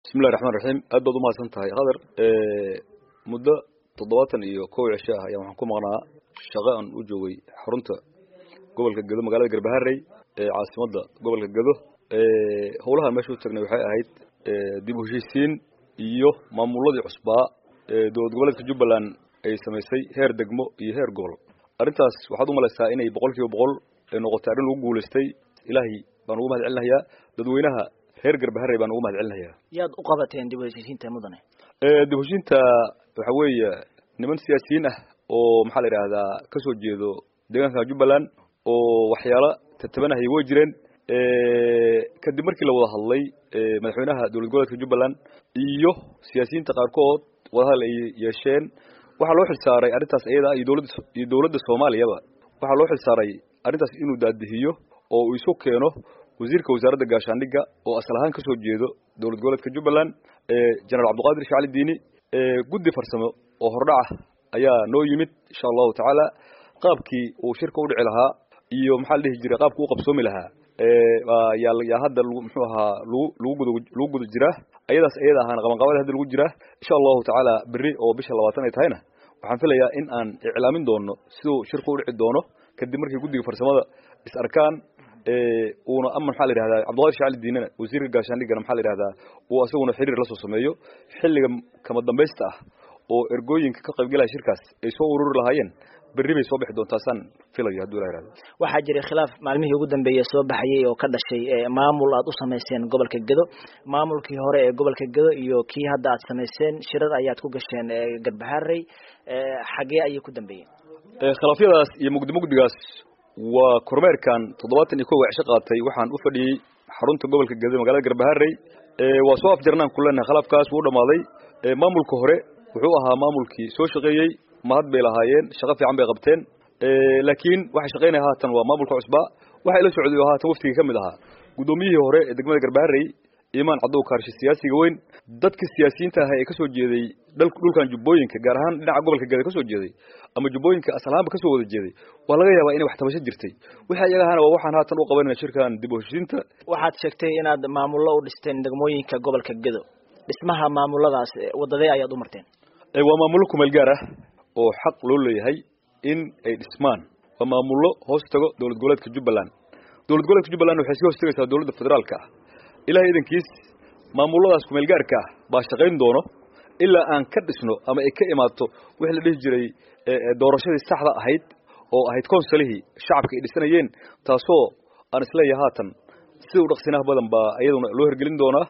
Bismillahi raxmaan raxiim. Aad baad umahadsan tahay, Khadar. Muddo 71 cisho ah ayaa waxaan ku maqnaa shaqo aan u joogay xarunta gobolka Gedo, magaalada Garbaharey ee caasimadda gobolka Gedo. Howlahan meesha u tagnay waxay ahayd dib u heshiisiin iyo maamuladii cusbaa ee dowlad goboleedka Jubbaland ay samaysay, heer degmo iyo heer gobol. Arrintaas waxaad umalaysaa inay 100% ay noqotay arrin lagu guulaystay. Ilaahay baan ugu mahad celinayaa, dadweynaha reer Garbaharey baan ugu mahad celinayaa. Yaad u qabateen dib u heshiisiinta, mudane? Dib u heshiinta waxa weeye niman siyaasiyiin ah oo, maxaa la yidhaahdaa, kasoo jeedo deegaanka Jubbaland oo waxyaalo tatabanahaya way jireen. Kadib markii la wada hadlay, madaxweynaha dowlad goboleedka Jubbaland iyo siyaasiyiinta qaarkood wadahadal ay yeesheen, waxaa loo xil saaray arrintaas iyada iyo dowladda iyo dowladda Soomaaliyaba. Waxaa loo xil saaray arrintaas inuu daadihiyo oo uu isu keeno wasiirka wasaaradda gaashaandhigga oo asal ahaan kasoo jeedo dowlad goboleedka Jubbaland, General Cabdiqaadir Shacali Diini. Guddi farsamo oo hordhaca ayaa noo yimid. Insha Allahu tacaala, qaabkii uu shirka u dhici lahaa iyo, maxaa la dhihi jiray, qaabka u qabsoomi lahaa yaa hadda lagu, muxuu ahaa, lagu guda jiraa. Ayadaas iyada ahaana qabanqaabada hadda lagu jiraa. Insha Allahu tacaala, berri oo bisha 20 ay tahayna, waxaan filayaa in aan iclaamin doono siduu shirka u dhici doono, kadib markii guddiga farsamada is arkaan, uuna ama, maxaa la yidhahdaa, Cabdiqaadir Shacali Diinana, wasiirka gaashaandhiggana, maxaa la yidhahdaa, uu asaguna xiriir la soo sameeyo. Xilliga kama dambaysta ah oo ergooyinka ka qaybgalaya shirkaas ay soo ururi lahaayeen berri bay soo bixi doontaasaan filayo, hadduu Ilah yihahdo. Waxaa jiray khilaaf maalmihii ugu dambeeyey soo baxayay oo ka dhashay maamul aad u samayseen gobolka Gedo. Maamulkii hore ee gobolka Gedo iyo kii hadda aad samayseen shirar ayaad ku gasheen Garbaharey, xagee ayay ku dambeeyeen? Khilaafyadaas iyo mugdi mugdigaas waa kormeerkan 71 cisho qaatay waxaan u fadhiyey xarunta gobolka Gedo, magaalada Garbaharey. Waa soo afjarnaan ku leenahay, khilaafkaas wuu dhamaaday. Maamulka hore wuxuu ahaa maamulkii soo shaqeeyey, mahad bay lahaayeen, shaqo fiican bay qabteen, laakiin waxa shaqaynaya haatan waa maamulka cusbaa. Waxa ila socday oo haatan waftigii ka mid ahaa guddoomiyihii hore ee degmada Garbaharey, Imaan Cadow Kaarshe, siyaasiga weyn. Dadka siyaasiyiinta ah ee kasoo jeeday dhulkan Jubbooyinka, gaar ahaan dhinaca gobolka Geda kasoo jeeday ama Jubbooyinka asal ahaanba kasoo wada jeeday, waa laga yaabaa inay wax tabasho jirtay. Wixii iyaga ahaana waa waxaan haatan u qabanayna shirkan dib u heshiisiinta. Waxaad sheegtay inaad maamullo u dhisteen degmooyinka gobolka Gedo. Dhismaha maamuladaas wadadee ayaad u marteen? Waa maamullo kumeel gaar ah oo xaq loo leeyahay in ay dhismaan. Waa maamullo hoos tago dowlad goboleedka Jubbaland. Dowlad goboleedka Jubbaland waxay sii hoos tagaysaa dowladda federaalka ah. Ilahay idankiis, maamuladaas kumeel gaarka ah baa shaqayn doono ilaa aan ka dhisno ama ay ka imaato wixii la dhihi jiray doorashadii saxda ahayd oo ahayd konsolihii shacabka ay dhisanayeen, taasoo aan isleeyahay haatan sida u dhaqsinaha badan baa iyaduna loo hirgelin doonaa,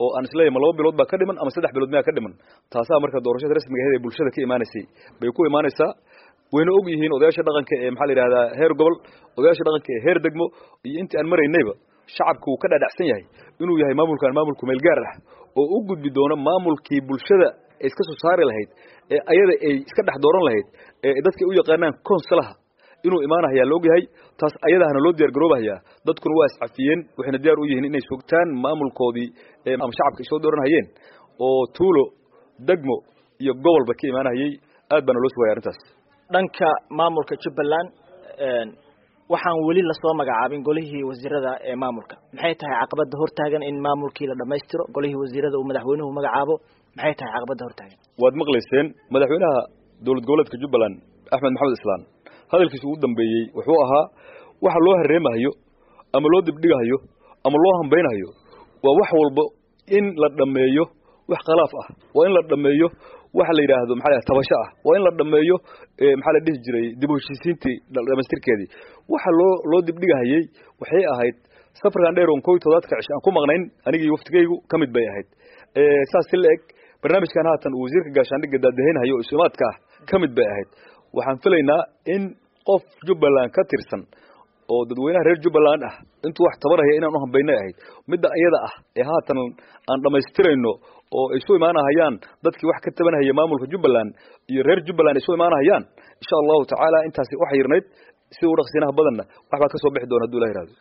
oo aan isleeyahay ma 2 bilood baa ka dhiman ama 3 bilood miyaa ka dhiman. Taasaa marka doorashada rasmiga ahayd ee bulshada ka imaanaysay bay ku imaanaysaa. Wayna og yihiin odayaasha dhaqanka ee, maxaa la yidhahdaa, heer gobol, odayaasha dhaqanka ee heer degmo iyo intii aan maraynayba, shacabka wuu ka dhadhacsan yahay inuu yahay maamulkan maamul kumeel gaar ah oo u gudbi doono maamulkii bulshada ay iska soo saari lahayd ee ayada ay iska dhex dooran lahayd ee dadka u yaqaanaan konsolaha inuu imaanahayaa la ogyahay. Taas ayadahana loo diyaar garoobahayaa. Dadkuna waa iscafiyeen, waxayna diyaar u yihiin inay sugtaan maamulkoodii ama shacabka ay soo dooranhayeen oo tuulo, degmo iyo gobolba ka imaanahayay. Aad baana loo sugaya arrintaas. Dhanka maamulka Jubbaland, waxaan weli lasoo magacaabin golihii wasiirada ee maamulka. Maxay tahay caqabada hortaagan in maamulkii la dhamaystiro, golihii wasiirada uu madaxweynuhu magacaabo? Maxay tahay caqabada hortaagan? Waad maqlayseen madaxweynaha dowlad goboleedka Jubbaland, Axmed Maxamed Islaan, hadalkiisa ugu dambeeyey wuxuu ahaa waxa loo hareemahayo ama loo dibdhigahayo ama loo hambaynahayo waa wax walba in la dhammeeyo wax khilaaf ah, waa in la dhammeeyo waxa la yidhaahdo, maxaa la, tabasho ah, waa in la dhammeeyo, maxaa la dhihi jiray, dib u heshiisiintii dhamaystirkeedii. Waxa loo dibdhigahayey waxay ahayd safarkan dheer oon 71-ka cisho aan ku maqnayn anigii waftigaygu ka mid bay ahayd. Saas si la eg barnaamijkan haatan uu wasiirka gaashaandhigga daadahaynhayo oo isumaadka ah ka mid bay ahayd. Waxaan filaynaa in qof Jubbaland ka tirsan oo dadweynaha reer Jubbaland ah intuu wax tabaraya inaan u hambaynay ahayd. Midda iyada ah ee haatan aan dhammaystirayno oo ay isu imaanahayaan dadkii wax ka tabanahaya maamulka Jubbaland iyo reer Jubbaland ay isu imaanahayaan, insha Allahu tacaala, intaasi wax yirnayd. Sida u dhaqsinaha badanna waxbaa ka soo bixi doona, hadduu Ilah yihahdo.